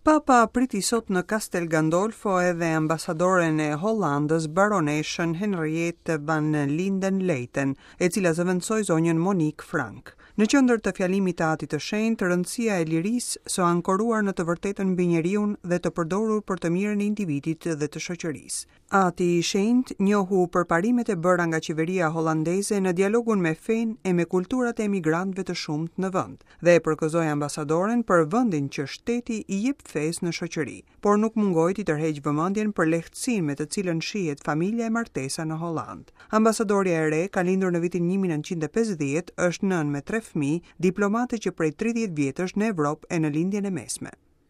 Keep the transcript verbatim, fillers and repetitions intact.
Papa priti sot në Castel Gandolfo edhe ambasadoren e Hollandës, baroneshën Henriette van Linden Leiten, e cila zëvendësoi zonjën Monique Frank. Në qendër të fjalimit të Atit të Shenjtë, rëndësia e lirisë së ankoruar në të vërtetën mbi njeriun dhe të përdorur për të mirën e individit dhe të shoqërisë. Ati i Shenjtë njohu përparimet e bëra nga qeveria hollandeze në dialogun me fenë e me kulturat e emigrantëve të shumtë në vend dhe e përgëzoi ambasadoren për vendin që shteti i jep fesë në shoqëri, por nuk mungoi t'i tërheq vëmendjen për lehtësinë me të cilën shihet familja e martesa në Holland. Ambasadorja e re ka lindur në vitin një mijë e nëntëqind e pesëdhjetë, është nënë me tre fëmijë, diplomate që prej tridhjetë vjetësh në Evropë e në Lindjen e Mesme.